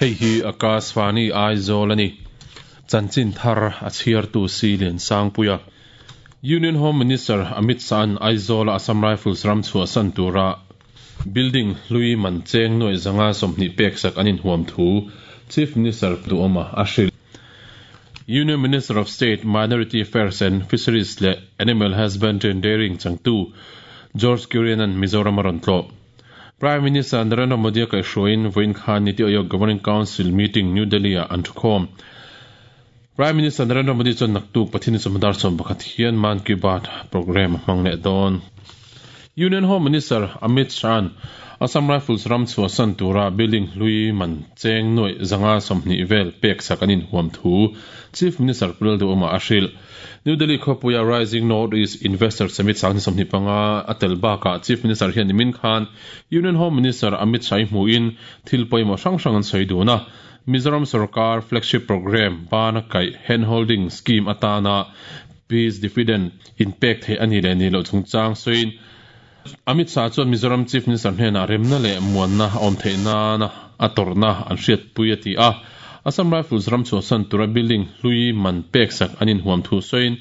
Hei hi Akashvani Aizawl a ni. Chanchin thar a chhiartu si Liansangpuia. Union Home Minister Amit Shah-a'n Aizawl-a Assam Rifles ram chhuahsan tura building hlui man cheng nuaih zanga 20 peksak an inhuam thu Chief Minister Duhawma a hrilh. Union Minister of State, Minority Affairs and Fisheries leh Animal Husbandry and Dairying changtu George Kurian-a'n Mizoram a rawn tlawh. Prime Minister Narendra Modi a kaihhruaiin vawiin khan Niti Aayog Governing Council meeting New Delhi-ah an thukhawm. Prime Minister Narendra Modi chuan naktuk Pathian chawhma 11 hian Mann Ki Baat programme a hmang leh dawn. Union Home Minister Amit Shah-a'n Assam Rifles ram chhuahsan tura building hlui man cheng nuaih 120 vel peksak an inhuam thu Chief Minister Pu Lalduhawma a hrilh. New Delhi khawpuia Rising North East Investor Summit 2025 a tel bakah Chief Minister hian nimin khan Union Home Minister Amit Shah-i hmuhin thil pawimawh hrang hrang an sawi dun a. Mizoram sorkar flagship programme bana kaih handholding scheme atana peace dividend inpek theih a ni leh ni loh chungchang sawiin Amit Shah chuan Mizoram Chief Minister hnenah remna leh muanna a awm theih nana a tawrhna an hriatpui a ti a. Assam Rifles ram chhuahsan tura building hlui man peksak an inhuam thu sawiin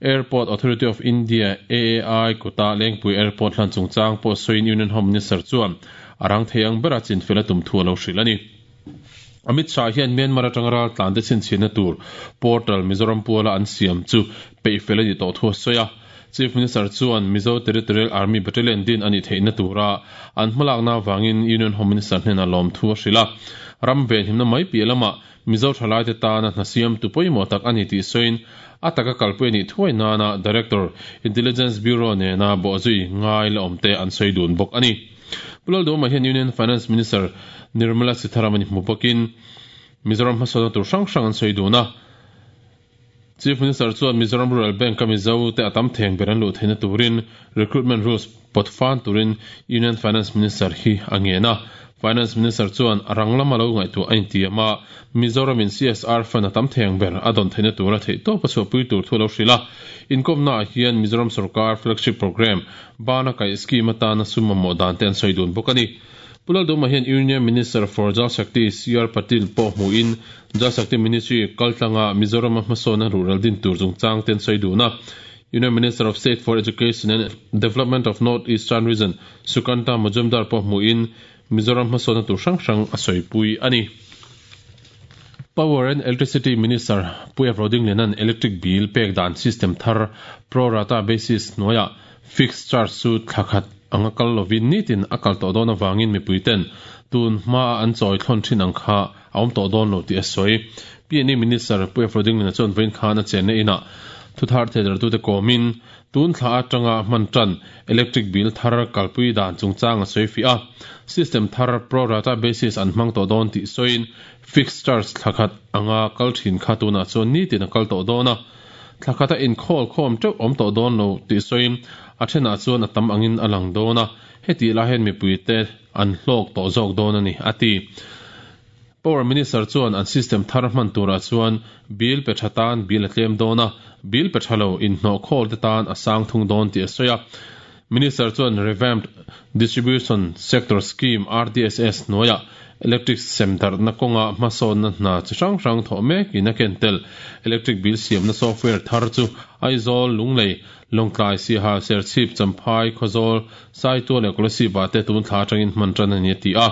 Airport Authority of India, AAI, kuta Lengpui Airport hlan chungchang pawh sawiin Union Home Minister chuan a rang thei ang bera chinfel a tum thu a lo hrilh a ni. Amit Shah hian Myanmar atanga raltlan te chhinchhiahna tur portal Mizoram puala an siam chu peihfel a nih tawh thu a sawi a. Chief Minister chuan Mizo Territorial Army Battalion din a nih theihna tura an hmalakna avangin Union Home Minister hnenah lawmthu a hrilh a. Ram venhimna mai piah lamah Mizo thalaite tana hna siamtu pawimawh tak a ni tih sawiin a taka kalpui a nih thuai nana Director, Intelligence Bureau nena bawhzui ngai la awmte an sawi dun bawk a ni. Pu Lalduhawma hian Union Finance Minister Nirmala Sitharaman hmu bawkin Mizoram hmasawnna tur hrang hrang an sawi dun a. Chief Minister chuan Mizoram Rural Bank-a Mizo te a tam theng ber an luh theihna turin recruitment rules pawt fan turin Union Finance Minister hi a ngen a. Finance Minister chuan a rang lama lo ngaihtuah a intiam a, Mizoramin CSR fund a tam theng ber a dawn theihna tura theihtawp a chhuahpui tur thu a lo hrilh a. Inkawmnaah hian Mizoram sorkar flagship programme Bana kaih scheme atana sum mamawh dan te an sawi dun bawk a ni. Pu Lalduhma hian Union Minister for Jal Shakti CR Patil pawh hmuhin Jal Shakti Ministry kaltlanga Mizorama hmasawnna rural din tur chungchang te an sawi dun a. Union Minister of State for Education and Development of North Eastern Region Sukanta Majumdar pawh hmuhin Mizoram hmasawnna tur hrang hrang a sawipui a ni. Power and Electricity Minister Pu F. Rodingliana'n electric bill pek dan system thar pro rata basis hnuaiah fixed charge chu thla khat anga kal lovin nitin a kal tawh dawn avangin mipuiten tun hmaa an chawi thlawn thin ang kha a awm tawh dawn lo tih a sawi. P&E Minister Pu F. Rodingliana chuan vawiin khan a chenna inah thuthar theidartute kawmin Tun thla atanga hman tan electric bill thar kalpui dan chungchang a sawi fiah a, system thar pro rata basis an hmang tawh dawn tih sawiin fixed charge thla khat anga kal thin kha tunah chuan nitin a kal tawh dawn a, thla khata inkhawl khawm teuh awm tawh dawn lo tih sawiin a thenah chuan a tam angin a lang dawn a, hetih lai hian mipuite an hlawk tawh zawk dawn a ni, a ti. Power Minister chuan an system thar hman turah chuan bill pe tha tan bill a tlem dawn a, bill pe tha lo inhnawh khawl te tan a sang thung dawn tih a sawi a. Minister chuan Revamped Distribution Sector Scheme, RDSS, hnuaiah electric sem darhna kawnga hmasawnna hna chi hrang hrang thawh mekin a ken tel. Electric bill siamna software thar chu Aizawl, Lunglei, Lawngtlai, Siaha, Serchhip, Champhai, Khawzawl, Saitual leh Kolasib-ah te tun thla atangin hman tan a ni a ti a.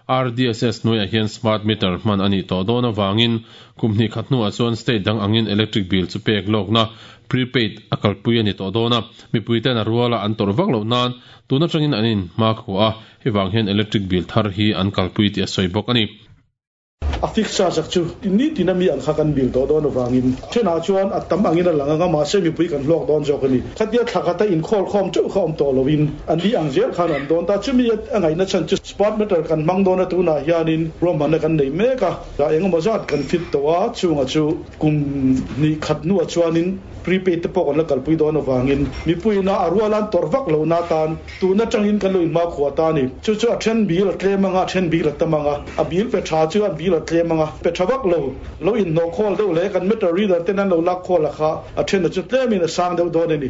RDSS hnuaiah hian smart meter hman a nih tawh dawn avangin kum hnih khat hnuah chuan state dang angin electric bill chu pek lawkna, prepaid, a kalpui a ni tawh dawn a. Mipuiten a ruala an tawrh vak loh nan tun atangin an inhmakhua a, hei vang hian electric bill thar hi an kalpui tih a sawi bawk a ni. A fixed charge ak chu nitin a mi ang kha kan bill tawh dawn avangin thenah chuan a tam angin a lang ang a, mahse mipui kan hlawk dawn zawk a ni. Khatia thla khata inkhawl khawm teuh kha awm tawh loin an ni ang zel khan an dawn ta. Chumi a ngaihna chhan chu smart meter kan hmang dawn a, tunah hianin ruahmanna kan nei mek a, engemaw zat kan fit tawh a, chungah chu kum hnih khat hnuah chuanin prepaid te pawh kan la kalpui dawn avangin mipuiin a rual an tawrh vak lohna atan Tun atangin kan lo inhmakhua ta a ni. Chu chu a then bil a tlem anga, a then bil a tam anga, a bil pe tha chu a bil a tlem anga, pe tha vak lo, lo inhnawh khawl deuh leh kan meter reader ten an lo lak khawl a kha a then a chu tlemin a sang deuh dawn a ni.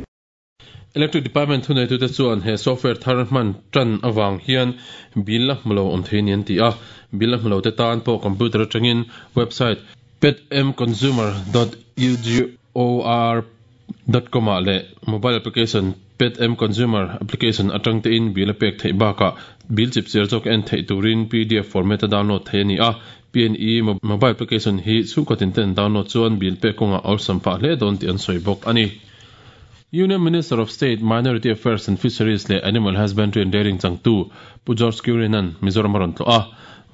Electric Department thuneitute chuan he software thar hman tan awang hian bill la hmulo awm thei ni an ti a. Bill la hmulo te tan pawh computer atangin website petmconsumer.ugor.com ah leh mobile application petm consumer application atang te in bill a pek theih bakah bill chip chiar zawk en theih turin PDF format a download thei ani a. PNE mobile application hi chhungkaw tin ten download chuan bill pek kawngah awlsam phah hle dawn tih an sawi bawk ani. Union Minister of State, Minority Affairs and Fisheries leh Animal Husbandry and Dairying changtu Pu George Kurian-a'n Mizoram a rawn tlawh a.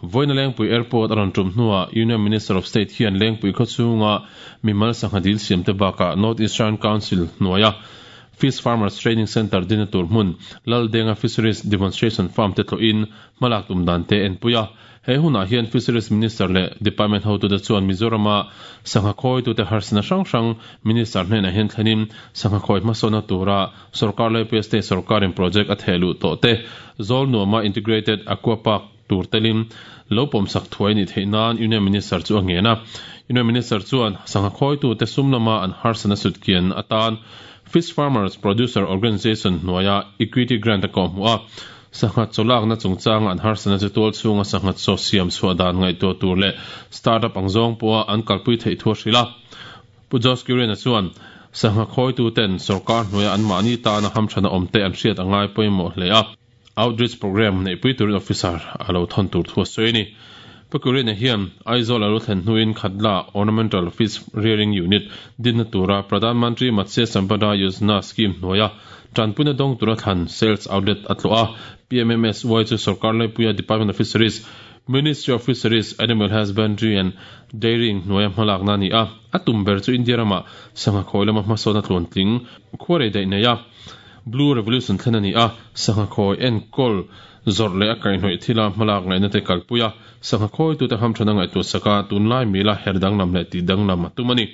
Vawiina Lengpui Airport a rawn tum hnuah Union Minister of State hian Lengpui khawchhunga mimal sangha dil siamte bakah North Eastern Council hnuaia Fish Farmers Training Centre dina tur hmun Laldenga Fisheries Demonstration Farm te tlawhin hmalak tum dan te enpui a. He hunah hian Fisheries Minister leh Department hotute chuan Mizorama sangha khawitute harsatna hrang hrang Minister hnenah hian thlenin sangha khawi hmasawnna tura sorkar laipuia state sorkarin project a theh luh tawh te zawl nuama Integrated Aqua Park tur telin lo pawmsak thuai nih theih nan Union Minister chu a ngen a. Union Minister chuan sangha khawitute sum lama an harsatna sutkian atan Fish Farmers Producer Organisation hnuaia Equity Grant a kawhhmuh a. Sangha chawlakna chungchanga an harsatna chu tual chhunga sangha chaw siam chhuah dan ngaihtuah tur leh startup ang zawng pawha an kalpui theih thu a hrilh a. Pu Josh Kurian-a chuan, Sangha khawituten sorkar hnuaia anmahni tana hamthana awmte an hriat a ngai pawimawh hle a, outreach programme neihpui turin officer a lo thawn tur thu a sawi a ni. Pu Kurian-a hian Aizawl a lo thlen hnuin Khatla Ornamental Fish Rearing Unit dinna tura Pradhan Mantri Matsya Sampada Yojana scheme hnuaia Tanpuina dawng tura thlan sales outlet a tlawh a, PMMSY chu sorkar laipuia Department of Fisheries, Ministry of Fisheries, Animal Husbandry and Dairying hnuaia hmalakna a ni a. A tum ber chu India ramah sangha khawi lama hmasawna tluantling khuarei daih nei a, Blue Revolution thlen a ni a, sangha khawi enkawl zawrh leh a kaihhnawih thila hmalak ngaihna te kalpui a, sangha khawitute hamthana ngaihtuah saka tunlai mila her danglam leh tih danglam a tum a ni.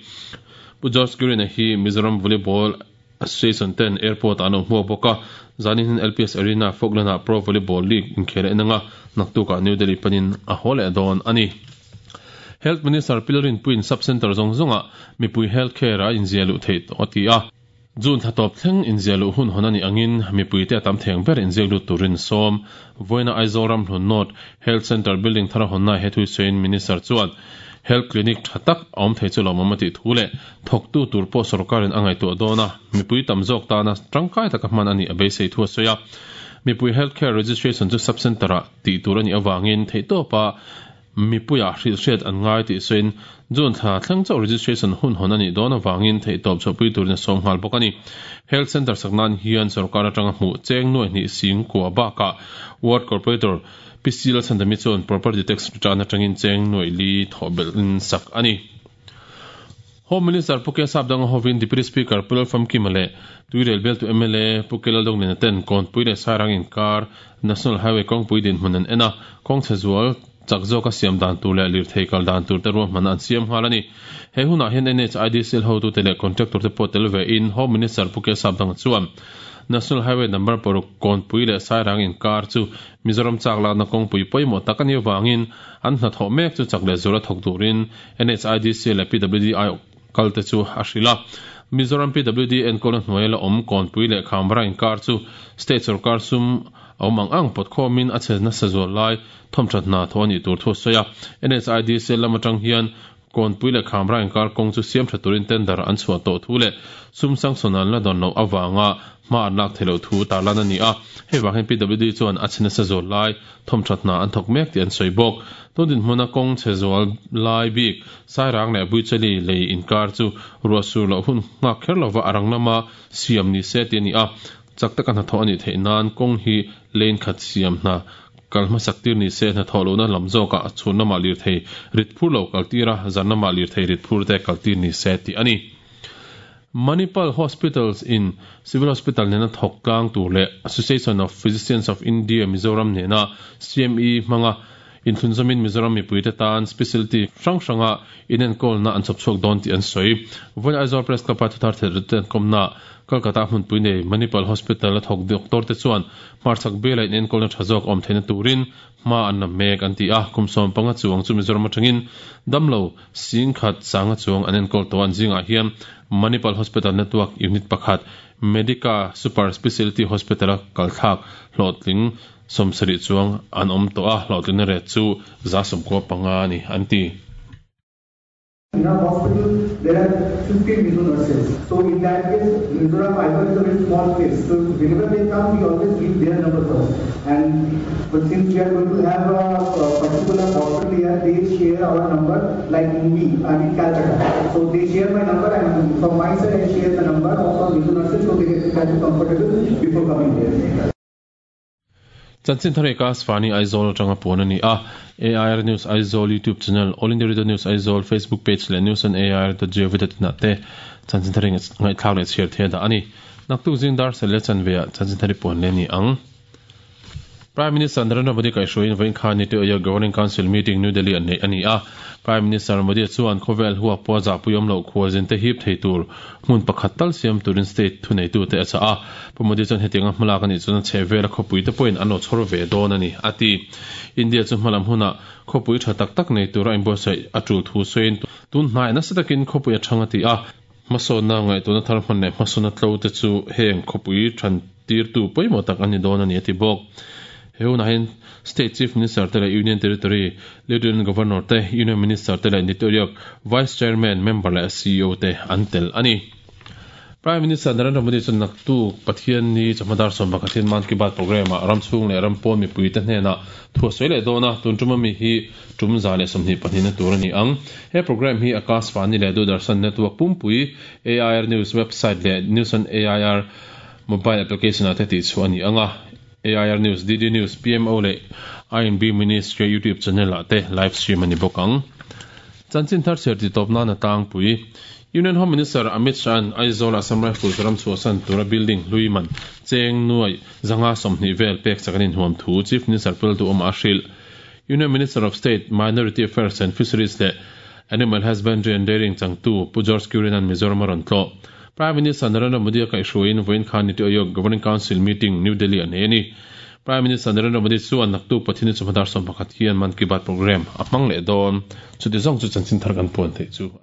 Pu George Kurian-a hi Mizoram Volleyball Association ten airport ah an awm hmuak bawk a, zanin hian LPS Arena Falkland ah Pro Volleyball League inkhel a en ang a, naktuk ah New Delhi panin a haw leh dawn a ni. Health Minister Pilrinpuiin Sub-Centre zawng zawng ah mipui health care a inziah luh theih tawh a ti a, June thla tawp thleng inziah luh hun hawn a nih angin mipui te a tam theng ber inziak lut turin sawm. Vawiina Aizawl Ramhlun North Health Centre building thar a hawnna he thuisawiin Minister chuan Health Clinic tha tak a awm thei chu lawmawm a tih thu leh thawktu tur pawh sorkarin a ngaihtuah dawn a, mipui tam zawk tana tangkai taka hman a nih a beisei thu a sawi a. Mipui Health Care Registration chu Sub Centre-ah tih tur a nih avangin theihtawpa mipuiah hrilhhriat an ngai tih sawiin June thla thleng chauh registration hun hawn a nih dawn avangin theihtawp chhuahpui turin a sawm nghal bawk a ni. Health Centre sak nan hian sorkar atanga hmuh cheng nuai hnih sing kua bakah Ward Corporator Pi Sila Chhandami chuan Property Tax return atangin cheng nuaih li thawh belhin sak a ni. Home Minister Pu K Sapdanga hovin Deputy Speaker Pu Lalfamkima leh Tuirel bialtu mla Pu K Laldawngnen ten Kawnpui leh Sairang inkar National Highway kawngpui dinhmun an en a, kawngchhe zual chak zawka siam dan tur leh lirthei kal dan tur te ruahmanna an siam nghal a ni. He hunah hian NHIDCL hotute leh contractor te pawh tel ve in Home Minister Pu K Sapdanga chuan National Highway number paruk Kawnpui leh Sairang inkar chu Mizoram chak lakna kawngpui pawimawh tak a nih avangin an hnathawh mek chu chak leh zuala thawk turin NHIDC leh PWD aiawh kal te chu a hrilh a. Mizoram PWD enkawlna hnuaia la awm Kawnpui leh Khamra inkar chu state sorkar sum a awm ang ang pawt khawmin a che nasa zual lai thawmthat hna thawh a nih tur thu a sawi a. NHIDC lam atang hian Kawnpui leh Khamra inkar kawng chu siam tha turin tender an chhuah tawh thu leh sum sanction an la dawn loh avanga hma an lak theih loh thu tarlan a ni a. Hei vang hian PWD chuan a chhe nasa zual lai thawmthat hna an thawk mek tih an sawi bawk. Tun dinhmuna kawng chhe zual lai bik Sairang leh Buichali lei inkar chu ruah sur loh hun nghak kher lova a rang lama siam ni se tih a ni a. Chak taka hnathawh a nih theih nan kawng hi lane khat siam hna Kal hmasak tir ni se hnathawh lohna lam zawkah a chhun lamah lirthei rit phur lo kal tir a, zan lamah lirthei rit phur te kal tir ni se tih a ni. Manipal Hospitals in Civil Hospital nena thawk tlang tur leh Association of Physicians of India Mizoram nena CME hmanga inthlunzawmin Mizoram mipuite tan specialty hrang hranga inenkawlna an chhawp chhuak dawn tih an sawi. Vawiin Aizawl Press Club-a thuthar theih rit an kawmnaah Kolkata hmunpui nei Manipal Hospital a thawk doctor te chuan Hmarchhak biala inenkawlna tha zawk awm theihna turin hma an la mek an ti a, kum 15 chuang chu Mizoram atangin damlo 10,000 sanga chuang an enkawl tawh a, an zingah hian Manipal Hospital Network Unit pakhat Medica Super Specialty Hospital-a kalthlak hlawhtling 70 chuang an awm tawh a, hlawhtlinna rate chu 95% a ni, an ti. In our hospital, there are 15 Mizo nurses. So in that case, Mizoram Aizawl is a very small place. So whenever they come, we always give their number first. And but since we are going to have a particular hospital here, they share our number like me, I'm in Calcutta. So they share my number, and from my side I share the number of our Mizo nurses so they get comfortable before coming here. Chanchin thar eka Svani Aizawl atanga puan a ni a. AIR News Aizawl YouTube channel, All India Radio News Aizawl Facebook page leh news on air dot gov dot in ah te chanchin thar ngaihthlak leh chhiar thei a dah a ni. Naktuk zing dar sel leh chanve ah chanchin thar i puan leh a ni ang. Prime Minister Narendra Modi kaihhruaiin vawiin khan Niti Aayog Governing Council meeting New Delhi ah neih a ni a. Prime Minister Modi chuan khawvel huap pawh zahpui awm loh khualzin te hip thei tur hmun pakhat tal siam turin state thuneitute a chah a. Pu Modi chuan hetianga hmalak a nih chuan a chhehvela khawpuite pawhin an lo chhawr ve dawn a ni, a ti. India chu hmalam hunah khawpui tha tak tak nei tura inbuatsaih a tul thu sawiin tun hnaiah nasa takin khawpui a thang a ti a. Hmasawnna ngaihtuahna thar hman leh hmasawnna tlo te chu heng khawpui than tirtu pawimawh tak a ni dawn a ni, a ti bawk. He hunah hian State Chief Minister te leh Union Territory Lieutenant Governor te, Union Minister te leh Niti Aayog Vice Chairman, Member leh CEO te an tel a ni. Prime Minister Narendra Modi chuan naktuk Pathianni chawhma dar 11 hian Mann Ki Baat programme ah ram chhung leh ram pawn mipuite hnenah thu a sawi leh dawn a, tun tuma mi hi tum 122 na tur a ni ang. He programme hi Akashvani leh Doordarshan Network pumpui, AIR News website leh News on AIR mobile application ah te tihchhuah a ni ang a. AIR News, DD News, PMO leh INB Ministry YouTube channel ah te live stream a ni bawk ang. Chanchin thar chhiar titawp nan a tlangpui. Union Home Minister Amit Shah-a'n Aizawl Assam Rifles ram chhuahsan tura building hlui man cheng nuai 120 vel pek chak an inhuam thu Chief Minister Pultu awmah a hrilh. Union Minister of State, Minority Affairs and Fisheries leh Animal Husbandry and Dairying changtu Pu George Kurian-a'n Mizoram a rawn tlawh. Prime Minister Narendra Modi a kaihhruaiin vawiin khan Niti Aayog Governing Council meeting New Delhi a nei a ni. Prime Minister Narendra Modi chuan naktuk Pathian chawhma dar 11 hian Mann Ki Baat programme a hmang leh dawn. Chuti zawng chu chanchin thar kan puan theih chu a ni.